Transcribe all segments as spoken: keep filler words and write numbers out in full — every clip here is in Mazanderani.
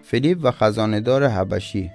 فیلیپ و خزانه‌دار حبشی.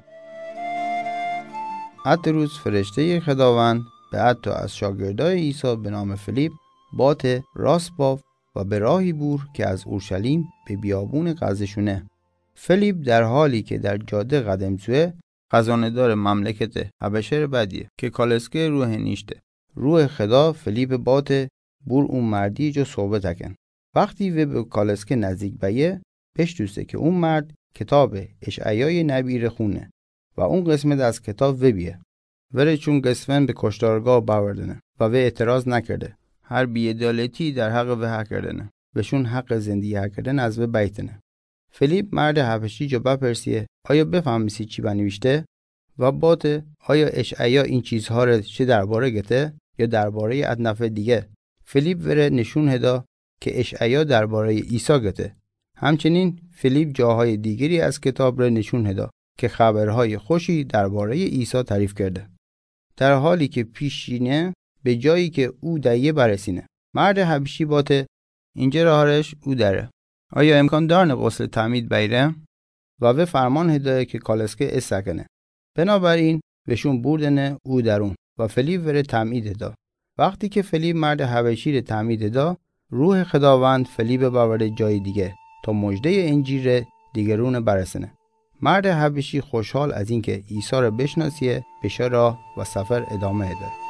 ات روز فرشتهٔ خداوند به ات تا از شاگردای عیسی به نام فیلیپ بات راست باف و به راهی بور که از اورشلیم به بیابون غزه‌شونه. فیلیپ در حالی که در جاده قدم زوه، خزانه‌دار مملکت حبشه ره بدیه که کالسکه رو هنیشته. روح خدا فیلیپ بات بور اون مردی جا صحبت کن. وقتی وی به کالسکه نزدیک بیه، بشنوسه که اون مرد کتاب اشعیای نبی ره خونه و اون قسمت از کتاب وی بیه. وره چون گسفن به کشتارگاه باوردنه و وی اعتراض نکرده، هر بی‌عدالتی در حق وی هکردنه و شون حق زندگی هکردن از وی بیتنه. فیلیپ مرد حبشی جا بپرسیه، آیا بفهمیسی چی بنویشته؟ و بات، آیا اشعیا این چیزها ره چه درباره گته یا دربارهٔ اد نفر دیگه؟ فیلیپ وره نشون هدا که اشعیا دربارهٔ عیسی گته. همچنین فیلیپ جاهای دیگری از کتاب ره نشون هدا که خبرهای خوشی دربارهٔ عیسی تعریف کرده. در حالی که پیش شینه، به جایی که او دیه برسینه. مرد حبشی بات، اینجه راهش او دره. آیا امکان دارنه غسل تعمید بیره؟ و وی فرمان هدا که کالسکه ایسا کنه. بنابراین وشون بوردنه او درون و فیلیپ وره تعمید هدا. وقتی که فیلیپ مرد حبشی ره تعمید هدا، روح خداوند فیلیپ باورده جای دیگه تا مژدهٔ انجیل ره دیگرون برسنه. مرد حبشی خوشحال از اینکه عیسی ره بشناسیه، به شاه راه و سفر ادامه هده.